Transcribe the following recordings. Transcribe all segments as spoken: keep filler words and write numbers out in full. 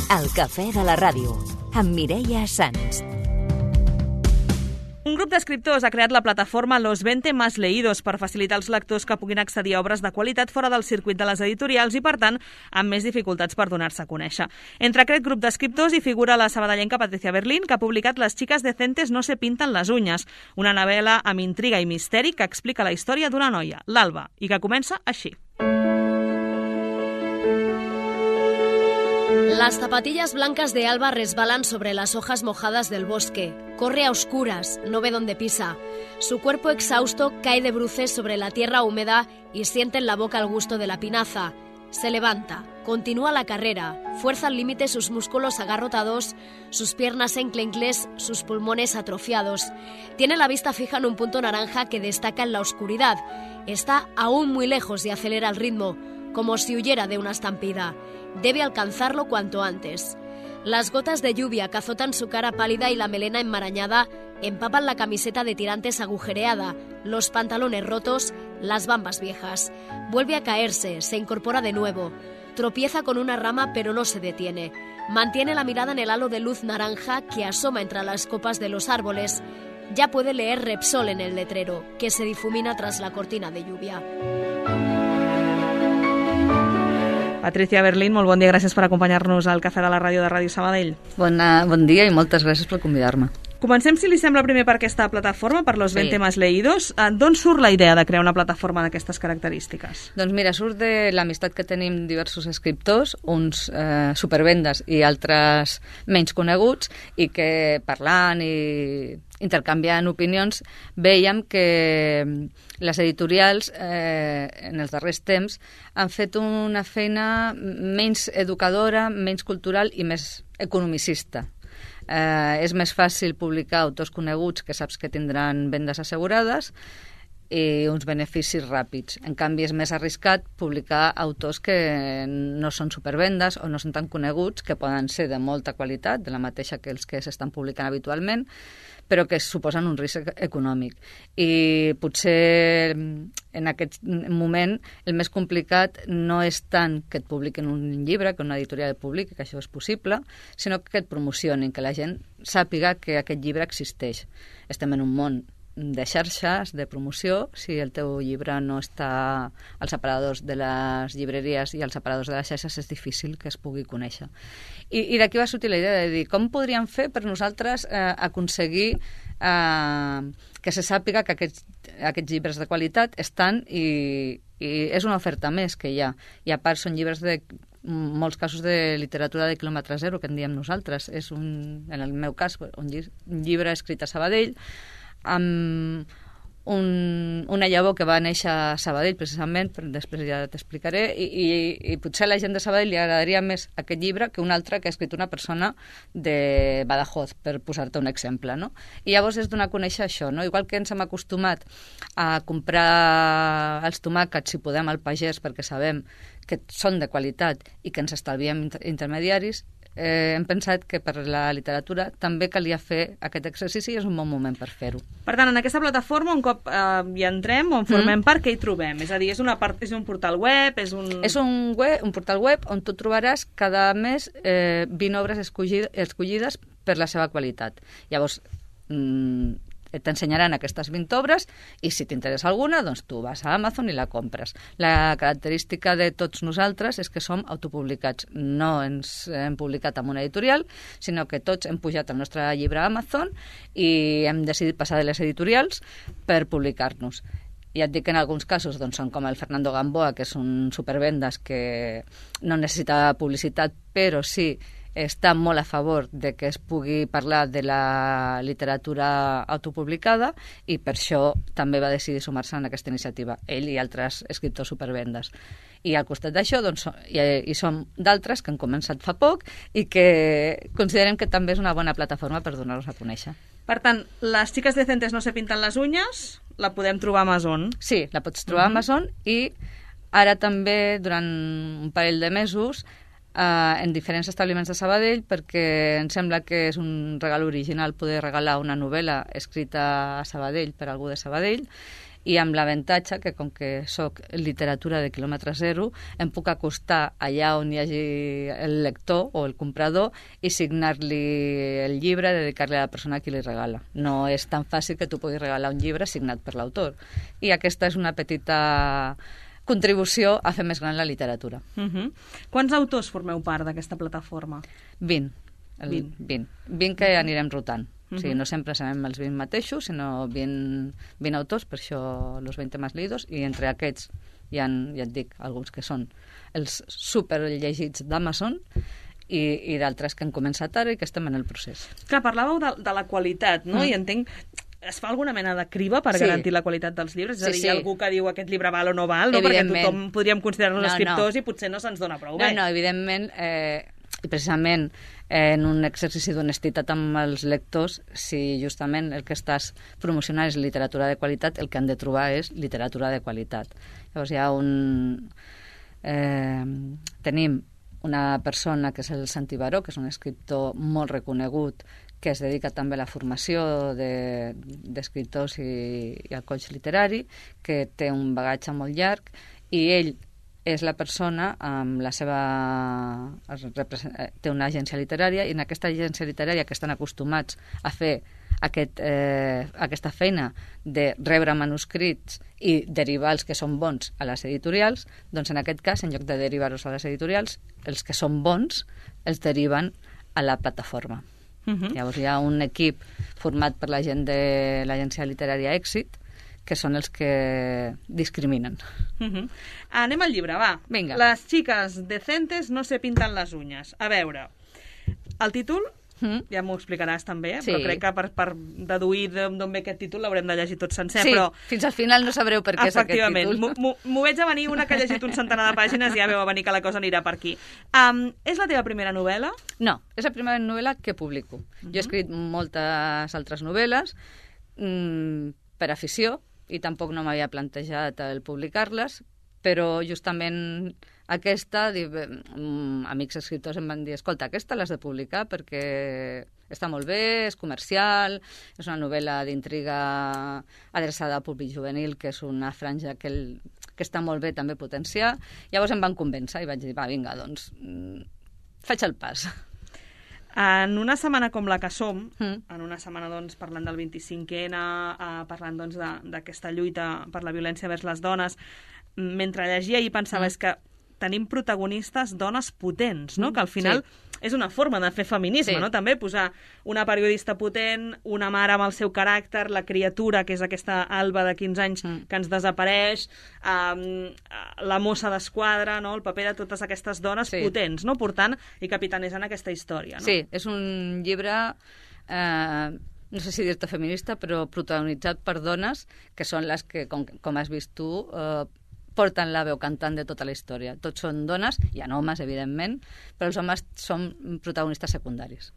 El cafè de la ràdio, amb Mireia Sans. Un grup d'escriptors ha creat la plataforma Los veinte Más Leídos per facilitar als lectors que puguin accedir a obres de qualitat fora del circuit de les editorials i, per tant, amb més dificultats per donar-se a conèixer. Entre aquest grup d'escriptors hi figura la sabadellenca Patricia Berlín, que ha publicat Las chicas decentes no se pintan las uñas, una novel·la amb intriga i misteri que explica la història d'una noia, l'Alba, i que comença així. Las zapatillas blancas de Alba resbalan sobre las hojas mojadas del bosque. Corre a oscuras, no ve dónde pisa. Su cuerpo exhausto cae de bruces sobre la tierra húmeda y siente en la boca el gusto de la pinaza. Se levanta, continúa la carrera, fuerza al límite sus músculos agarrotados, sus piernas enclencles, sus pulmones atrofiados. Tiene la vista fija en un punto naranja que destaca en la oscuridad. Está aún muy lejos y acelera el ritmo, como si huyera de una estampida. Debe alcanzarlo cuanto antes. Las gotas de lluvia que azotan su cara pálida y la melena enmarañada empapan la camiseta de tirantes agujereada, los pantalones rotos, las bambas viejas. Vuelve a caerse, se incorpora de nuevo. Tropieza con una rama pero no se detiene. Mantiene la mirada en el halo de luz naranja que asoma entre las copas de los árboles. Ya puede leer Repsol en el letrero, que se difumina tras la cortina de lluvia. Patricia Berlín, molt bon dia, gràcies per acompanyar-nos al Cafè de la Ràdio de Ràdio Sabadell. Bona, bon dia i moltes gràcies per convidar-me. Comencem, si li sembla, primer per aquesta plataforma, per Los veinte Sí. Más Leídos. D'on surt la idea de crear una plataforma d'aquestes característiques? Doncs mira, surt de l'amistat que tenim diversos escriptors, uns eh, supervendes i altres menys coneguts, i que parlant i intercanviant opinions veiem que les editorials eh, en els darrers temps han fet una feina menys educadora, menys cultural i més economicista. Eh, és més fàcil publicar autors coneguts que saps que tindran vendes assegurades i uns beneficis ràpids. En canvi, és més arriscat publicar autors que no són supervendes o no són tan coneguts, que poden ser de molta qualitat, de la mateixa que els que s'estan publicant habitualment, però que suposen un risc econòmic. I potser en aquest moment el més complicat no és tant que et publiquin un llibre, que una editorial et publiqui, que això és possible, sinó que et promocionin, que la gent sàpiga que aquest llibre existeix. Estem en un món de xarxes, de promoció. Si el teu llibre no està als aparadors de les llibreries i als aparadors de les xarxes, és difícil que es pugui conèixer. I, i d'aquí va sortir la idea de dir com podríem fer per nosaltres eh, aconseguir eh, que se sàpiga que aquests, aquests llibres de qualitat estan i, i és una oferta més que hi ha. I a part són llibres de molts casos de literatura de quilòmetre zero, que en diem nosaltres. És un, en el meu cas, un, lli un llibre escrit a Sabadell, amb un, una llavor que va néixer a Sabadell, precisament, però després ja t'explicaré, i, i, i potser a la gent de Sabadell li agradaria més aquest llibre que un altre que ha escrit una persona de Badajoz, per posar-te un exemple, no? I llavors és donar a conèixer això, no? Igual que ens hem acostumat a comprar els tomàquets, si podem, al pagès, perquè sabem que són de qualitat i que ens estalviem inter intermediaris, Eh, hem pensat que per la literatura també calia fer aquest exercici i és un bon moment per fer-ho. Per tant, en aquesta plataforma, un cop eh, hi entrem o en formem mm. part, què hi trobem? És a dir, és, una part, és un portal web? És un, és un, web, un portal web on tu trobaràs cada mes eh, vint obres escollides, escollides per la seva qualitat. Llavors, mm, t'ensenyaran aquestes vint obres i si t'interessa alguna, doncs tu vas a Amazon i la compres. La característica de tots nosaltres és que som autopublicats. No ens hem publicat amb una editorial, sinó que tots hem pujat el nostre llibre a Amazon i hem decidit passar de les editorials per publicar-nos. Ja et dic que en alguns casos doncs, són com el Fernando Gamboa, que és un supervendes que no necessita publicitat, però sí està molt a favor de que es pugui parlar de la literatura autopublicada i per això també va decidir sumar-se en aquesta iniciativa, ell i altres escriptors supervendes. I al costat d'això doncs, hi, hi som d'altres que han començat fa poc i que considerem que també és una bona plataforma per donar-nos a conèixer. Per tant, les chicas decentes no se pintan les uñas, la podem trobar a Amazon. Sí, la pots trobar uh-huh. a Amazon i ara també durant un parell de mesos Uh, en diferents establiments de Sabadell, perquè em sembla que és un regal original poder regalar una novel·la escrita a Sabadell per algú de Sabadell, i amb l'avantatge que, com que soc literatura de quilòmetre zero, em puc acostar allà on hi hagi el lector o el comprador i signar-li el llibre, dedicar-li a la persona a qui li regala. No és tan fàcil que tu puguis regalar un llibre signat per l'autor. I aquesta és una petita contribució a fer més gran la literatura. Uh -huh. Quants autors formeu part d'aquesta plataforma? vint. El vint. vint. vint que anirem rotant. Uh -huh. O sigui, no sempre serem els vint mateixos, sinó vint, vint autors, per això los veinte más leídos, i entre aquests hi ha, ja et dic, alguns que són els superllegits d'Amazon i, i d'altres que han començat ara i que estem en el procés. Clar, parlàveu de, de la qualitat, no? Mm. I entenc... Es fa alguna mena de criba per sí. garantir la qualitat dels llibres? És a dir, sí, sí. Hi ha algú que diu aquest llibre val o no val, no? Perquè tothom podríem considerar-nos no, escriptors no. i potser no se'ns dona prou bé. No, no, evidentment, eh, i precisament eh, en un exercici d'honestitat amb els lectors, si justament el que estàs promocionant és literatura de qualitat, el que han de trobar és literatura de qualitat. Llavors hi ha un... Eh, tenim una persona que és el Santi Baró, que és un escriptor molt reconegut, que es dedica també a la formació d'escriptors de, i, i al coach literari, que té un bagatge molt llarg, i ell és la persona amb la seva... té una agència literària, i en aquesta agència literària que estan acostumats a fer aquest, eh, aquesta feina de rebre manuscrits i derivar els que són bons a les editorials, doncs en aquest cas, en lloc de derivar-los a les editorials, els que són bons els deriven a la plataforma. Uh -huh. Llavors hi ha un equip format per la gent de l'agència literària Èxit, que són els que discriminen. Uh -huh. Anem al llibre, va. Vinga. Les xiques decentes no se pintan les uñas. A veure, el títol, mm. ja m'ho explicaràs també, sí. Però crec que per, per deduir d'on ve aquest títol l'haurem de llegir tot sencer. Sí, però... fins al final no sabreu per què és aquest títol. Efectivament, m'ho veig a venir, una que ha llegit un centenar de pàgines i ja veu a venir que la cosa anirà per aquí. Um, és la teva primera novel·la? No, és la primera novel·la que publico. Uh -huh. Jo he escrit moltes altres novel·les mmm, per afició, i tampoc no m'havia plantejat el publicar-les, però justament aquesta, amics escriptors em van dir, escolta, aquesta l'has de publicar perquè està molt bé, és comercial, és una novel·la d'intriga adreçada al públic juvenil, que és una franja que, el, que està molt bé també potenciar. Llavors em van convèncer i vaig dir, va, vinga, doncs, faig el pas. En una setmana com la que som, mm. en una setmana doncs, parlant del vint-i-cinquè ena, uh, parlant doncs, d'aquesta lluita per la violència vers les dones, mentre llegia i pensava mm. és que tenim protagonistes dones potents, no? Mm. Que al final sí. és una forma de fer feminisme, sí. no? També posar una periodista potent, una mare amb el seu caràcter, la criatura, que és aquesta Alba de quinze anys mm. que ens desapareix, um, la mossa d'esquadra, no? El paper de totes aquestes dones sí. potents, no? Portant i capitanejant aquesta història, no? Sí, és un llibre... Eh... no sé si dir-te feminista, però protagonitzat per dones que són les que, com, com has vist tu, eh, porten la veu cantant de tota la història. Tots són dones, hi ha homes, evidentment, però els homes són protagonistes secundaris.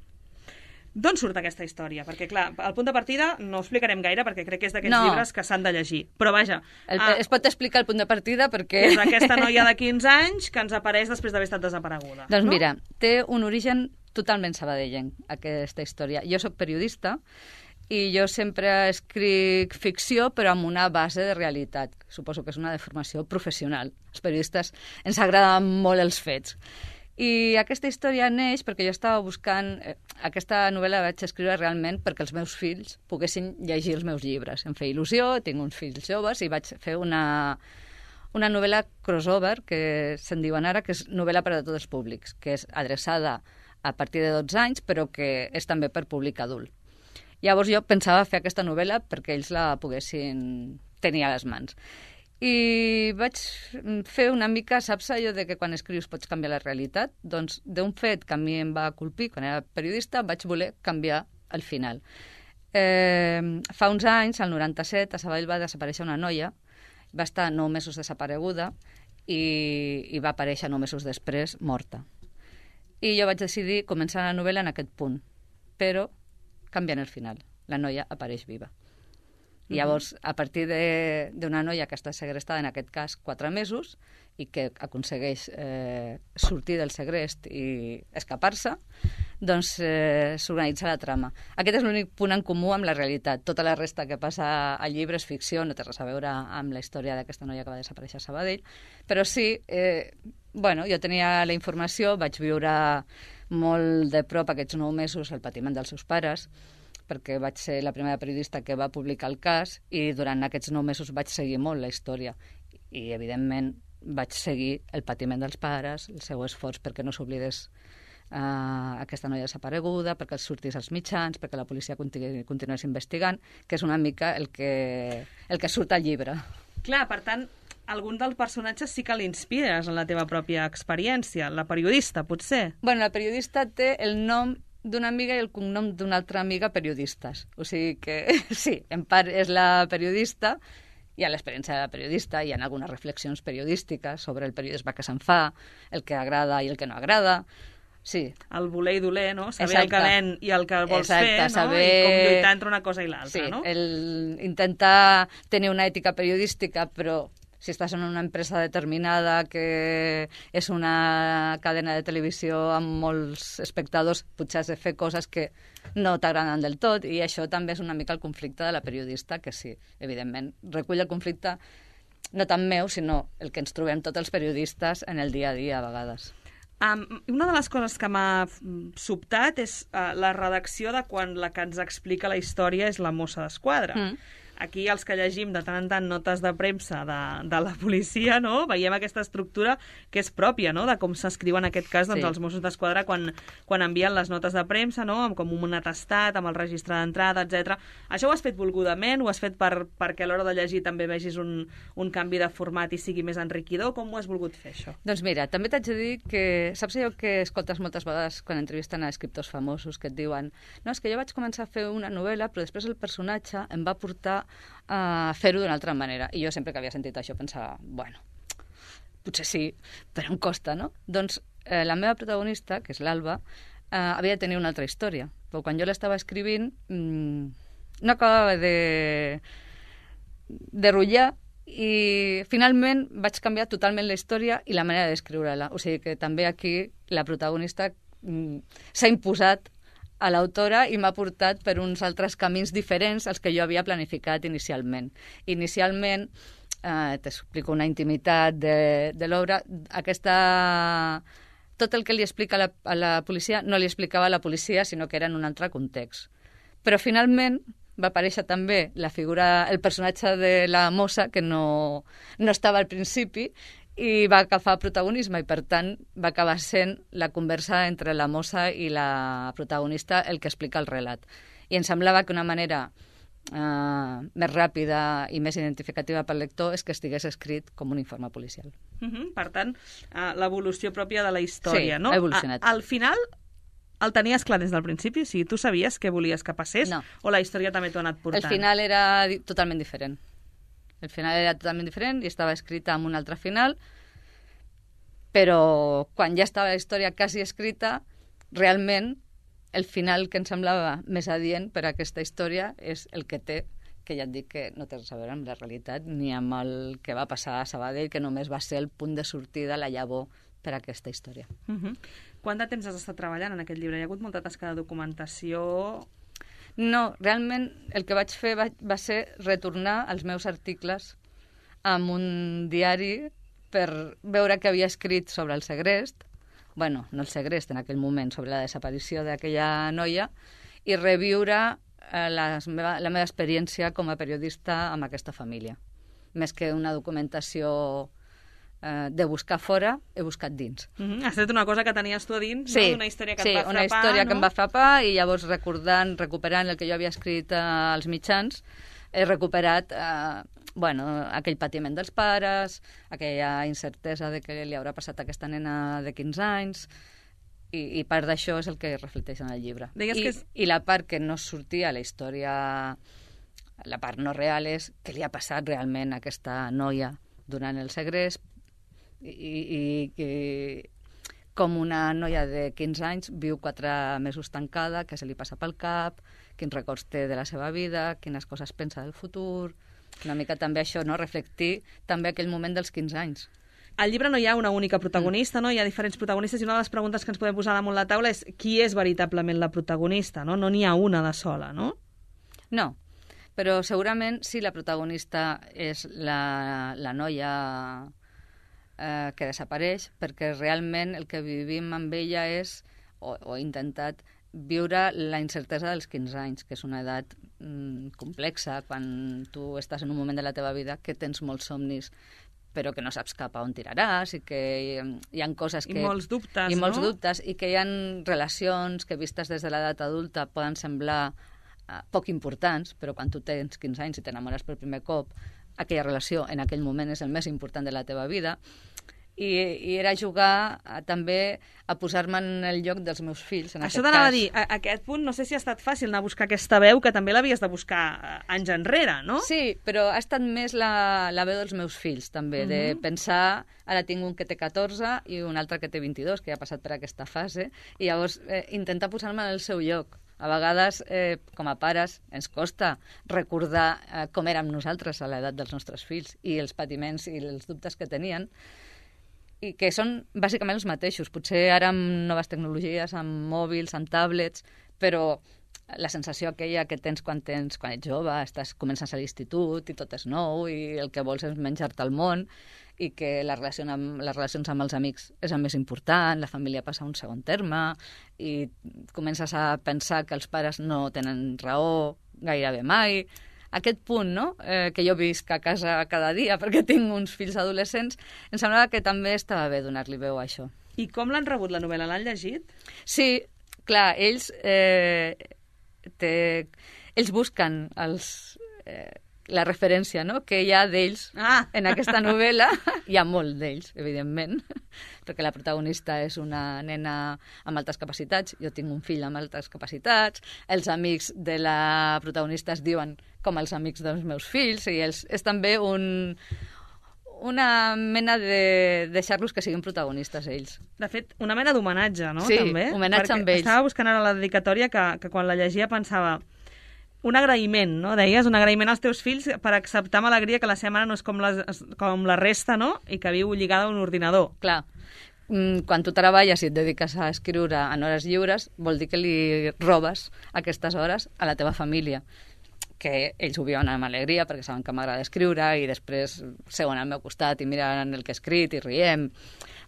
D'on surt aquesta història? Perquè, clar, el punt de partida no ho explicarem gaire, perquè crec que és d'aquests no. llibres que s'han de llegir. Però, vaja... El, ah, es pot explicar el punt de partida perquè... És aquesta noia de quinze anys que ens apareix després d'haver estat desapareguda. Doncs no? mira, té un origen totalment sabadellenc, aquesta història. Jo sóc periodista i jo sempre escric ficció, però amb una base de realitat. Suposo que és una deformació professional. Els periodistes ens agraden molt els fets. I aquesta història neix perquè jo estava buscant... Eh, aquesta novel·la la vaig escriure realment perquè els meus fills poguessin llegir els meus llibres. Em feia il·lusió, tinc uns fills joves i vaig fer una, una novel·la crossover, que se'n diuen ara, que és novel·la per a tots els públics, que és adreçada a partir de dotze anys, però que és també per públic adult. Llavors jo pensava fer aquesta novel·la perquè ells la poguessin tenir a les mans. I vaig fer una mica, saps allò de que quan escrius pots canviar la realitat? Doncs d'un fet que a mi em va colpir quan era periodista, vaig voler canviar el final. Eh, fa uns anys, al noranta-set, a Sabadell va desaparèixer una noia, va estar nou mesos desapareguda i, i va aparèixer nou mesos després morta. I jo vaig decidir començar la novel·la en aquest punt, però canviant el final. La noia apareix viva. I llavors, a partir d'una noia que està segrestada, en aquest cas, quatre mesos, i que aconsegueix eh, sortir del segrest i escapar-se, doncs eh, s'organitza la trama. Aquest és l'únic punt en comú amb la realitat. Tota la resta que passa al llibre és ficció, no té res a veure amb la història d'aquesta noia que va desaparèixer a Sabadell, però sí, eh, bueno, jo tenia la informació, vaig viure molt de prop aquests nou mesos el patiment dels seus pares, perquè vaig ser la primera periodista que va publicar el cas i durant aquests nou mesos vaig seguir molt la història i, evidentment, vaig seguir el patiment dels pares, el seu esforç perquè no s'oblidés Uh, aquesta noia desapareguda, perquè els sortís als mitjans, perquè la policia continu continués investigant, que és una mica el que, el que surt al llibre. Clar, per tant, algun dels personatges sí que l'inspires en la teva pròpia experiència, la periodista, potser? Bueno, la periodista té el nom d'una amiga i el cognom d'una altra amiga periodistes. O sigui que, sí, en part és la periodista, hi ha l'experiència de la periodista, hi ha algunes reflexions periodístiques sobre el periodisme que se'n fa, el que agrada i el que no agrada. Sí. El voler i doler, no? Saber Exacte. el calent i el que vols Exacte, fer, no? saber... I com lluitar entre una cosa i l'altra, sí, no? el intentar tenir una ètica periodística, però si estàs en una empresa determinada que és una cadena de televisió amb molts espectadors, potser has de fer coses que no t'agraden del tot, i això també és una mica el conflicte de la periodista, que sí, evidentment, recull el conflicte no tant meu, sinó el que ens trobem tots els periodistes en el dia a dia, a vegades. Um, una de les coses que m'ha sobtat és uh, la redacció de quan la que ens explica la història és la mossa d'esquadra. Mm. Aquí, els que llegim de tant en tant notes de premsa de, de la policia, no? Veiem aquesta estructura que és pròpia, no? De com s'escriu en aquest cas doncs, sí. Els Mossos d'Esquadra quan, quan envien les notes de premsa, no? Amb com un atestat, amb el registre d'entrada, etcètera. Això ho has fet volgudament? Ho has fet per, perquè a l'hora de llegir també vegis un, un canvi de format i sigui més enriquidor? Com ho has volgut fer, això? Doncs mira, també t'haig de dir que saps allò que escoltes moltes vegades quan entrevisten a escriptors famosos que et diuen no, és que jo vaig començar a fer una novel·la però després el personatge em va portar a fer-ho d'una altra manera. I jo sempre que havia sentit això pensava, bueno, potser sí, però em costa, no? Doncs eh, la meva protagonista, que és l'Alba, eh, havia de tenir una altra història. Però quan jo l'estava escrivint mmm, no acabava de de rotllar i finalment vaig canviar totalment la història i la manera d'escriure-la. O sigui que també aquí la protagonista mmm, s'ha imposat a l'autora i m'ha portat per uns altres camins diferents als que jo havia planificat inicialment. Inicialment, eh, t'explico una intimitat de, de l'obra, aquesta... tot el que li explica a la, a la policia no li explicava a la policia, sinó que era en un altre context. Però finalment va aparèixer també la figura, el personatge de la mossa, que no, no estava al principi, i va agafar protagonisme i, per tant, va acabar sent la conversa entre la mossa i la protagonista el que explica el relat. I em semblava que una manera eh, més ràpida i més identificativa pel lector és que estigués escrit com un informe policial. Uh-huh. Per tant, uh, l'evolució pròpia de la història, sí, no? ha evolucionat. A, al final, el tenies clar des del principi? O sigui, tu sabies què volies que passés? No. O la història també t'ho ha anat portant? El final era di- totalment diferent. El final era totalment diferent i estava escrita amb un altre final, però quan ja estava la història quasi escrita, realment el final que em semblava més adient per a aquesta història és el que té, que ja et dic que no té res a veure amb la realitat ni amb el que va passar a Sabadell, que només va ser el punt de sortida, la llavor per a aquesta història. Uh-huh. Quant de temps has estat treballant en aquest llibre? Hi ha hagut molta tasca de documentació... No, realment el que vaig fer va, va ser retornar els meus articles amb un diari per veure què havia escrit sobre el segrest, bueno, no el segrest en aquell moment, sobre la desaparició d'aquella noia, i reviure eh, les meva, la meva experiència com a periodista amb aquesta família. Més que una documentació eh, de buscar fora, he buscat dins. Mm-hmm. Has fet una cosa que tenies tu a dins, sí, no? Una història que sí, et va frapar, una història no? que em va frapar, i llavors recordant, recuperant el que jo havia escrit eh, als mitjans, he recuperat eh, bueno, aquell patiment dels pares, aquella incertesa de què li haurà passat a aquesta nena de quinze anys, i, i part d'això és el que reflecteix en el llibre. Deies I, que és... I la part que no sortia a la història, la part no real, és què li ha passat realment a aquesta noia durant el segrest, i, i, i com una noia de quinze anys viu quatre mesos tancada, què se li passa pel cap, quins records té de la seva vida, quines coses pensa del futur... Una mica també això, no? Reflectir també aquell moment dels quinze anys. al llibre no hi ha una única protagonista, no? Hi ha diferents protagonistes i una de les preguntes que ens podem posar damunt la taula és qui és veritablement la protagonista, no? No n'hi ha una de sola, no? No, però segurament sí la protagonista és la, la noia eh, que desapareix, perquè realment el que vivim amb ella és, o, o he intentat, viure la incertesa dels quinze anys, que és una edat mm, complexa, quan tu estàs en un moment de la teva vida que tens molts somnis, però que no saps cap a on tiraràs, i que hi, hi ha coses que... I molts dubtes, I molts no? dubtes, i que hi ha relacions que vistes des de l'edat adulta poden semblar uh, poc importants, però quan tu tens quinze anys i t'enamores per primer cop, aquella relació en aquell moment és el més important de la teva vida. I, i era jugar a, també a posar-me en el lloc dels meus fills, en Això aquest t'anava cas. a dir, a, a aquest punt no sé si ha estat fàcil anar a buscar aquesta veu, que també l'havies de buscar eh, anys enrere, no? Sí, però ha estat més la, la veu dels meus fills, també, uh -huh. de pensar, ara tinc un que té catorze i un altre que té vint-i-dos, que ja ha passat per aquesta fase, i llavors eh, intentar posar-me en el seu lloc. A vegades, eh, com a pares, ens costa recordar eh, com érem nosaltres a l'edat dels nostres fills i els patiments i els dubtes que tenien, i que són bàsicament els mateixos. Potser ara amb noves tecnologies, amb mòbils, amb tablets, però la sensació aquella que tens quan, tens, quan ets jove, estàs, comences a l'institut i tot és nou i el que vols és menjar-te el món i que la relació amb, les relacions amb els amics és el més important, la família passa a un segon terme i comences a pensar que els pares no tenen raó gairebé mai. Aquest punt, no?, eh, que jo visc a casa cada dia perquè tinc uns fills adolescents, em semblava que també estava bé donar-li veu a això. I com l'han rebut, la novel·la? L'han llegit? Sí, clar, ells, eh, té, ells busquen els, eh, la referència, no?, que hi ha d'ells Ah. en aquesta novel·la. Hi ha molt d'ells, evidentment, perquè la protagonista és una nena amb altes capacitats, jo tinc un fill amb altes capacitats, els amics de la protagonista es diuen com els amics dels meus fills, i els, és també un, una mena de deixar-los que siguin protagonistes ells. De fet, una mena d'homenatge, no?, Sí, també? homenatge Perquè amb ells. Estava buscant ara la dedicatòria que, que quan la llegia pensava un agraïment, no? Deies, un agraïment als teus fills per acceptar amb alegria que la seva mare no és com, les, com la resta, no?, i que viu lligada a un ordinador. Clar, quan tu treballes i et dediques a escriure en hores lliures, vol dir que li robes aquestes hores a la teva família, que ells ho viuen amb alegria perquè saben que m'agrada escriure i després seuen al meu costat i miren el que he escrit i riem.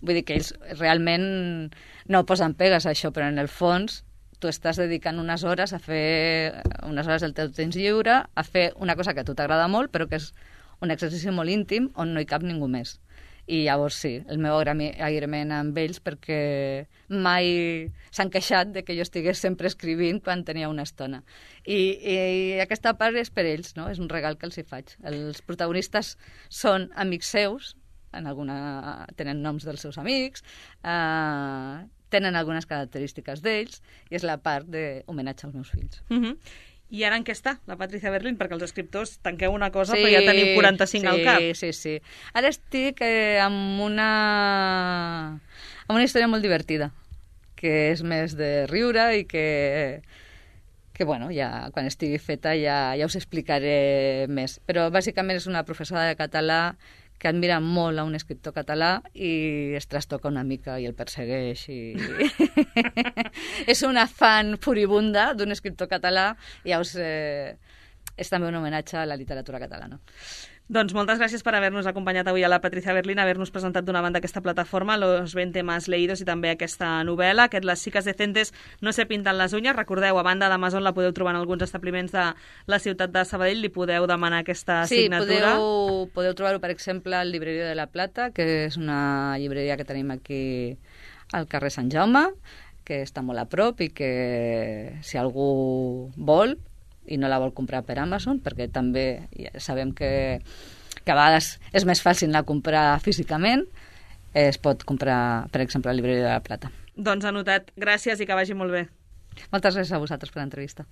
Vull dir que ells realment no posen pegues a això, però en el fons tu estàs dedicant unes hores a fer unes hores del teu temps lliure, a fer una cosa que a tu t'agrada molt, però que és un exercici molt íntim on no hi cap ningú més. I llavors sí, el meu agraïment amb ells perquè mai s'han queixat de que jo estigués sempre escrivint quan tenia una estona. I, i aquesta part és per ells, no? És un regal que els hi faig. Els protagonistes són amics seus, en alguna tenen noms dels seus amics, eh, tenen algunes característiques d'ells, i és la part d'homenatge als meus fills. Uh-huh. I ara en què està la Patricia Berlín? Perquè els escriptors tanqueu una cosa, sí, però ja tenim quaranta-cinc sí, al cap. Sí, sí, sí. Ara estic eh, amb una amb una història molt divertida, que és més de riure i que, que bueno, ja, quan estigui feta ja, ja us explicaré més. Però bàsicament és una professora de català que admira molt a un escriptor català i es trastoca una mica i el persegueix. I... és una fan furibunda d'un escriptor català i llavors eh, és també un homenatge a la literatura catalana. Doncs moltes gràcies per haver-nos acompanyat avui a la Patricia Berlín, haver-nos presentat d'una banda aquesta plataforma, Los veinte más leídos, i també aquesta novel·la, aquest Les chicas decentes no se pintan las uñas. Recordeu, a banda d'Amazon la podeu trobar en alguns establiments de la ciutat de Sabadell, li podeu demanar aquesta sí, signatura. Sí, podeu, podeu trobar-ho, per exemple, al Libreria de la Plata, que és una llibreria que tenim aquí al carrer Sant Jaume, que està molt a prop i que si algú vol i no la vol comprar per Amazon, perquè també ja sabem que, que a vegades és més fàcil anar a comprar físicament, es pot comprar, per exemple, a la Libreria de la Plata. Doncs anotat. Gràcies i que vagi molt bé. Moltes gràcies a vosaltres per l'entrevista.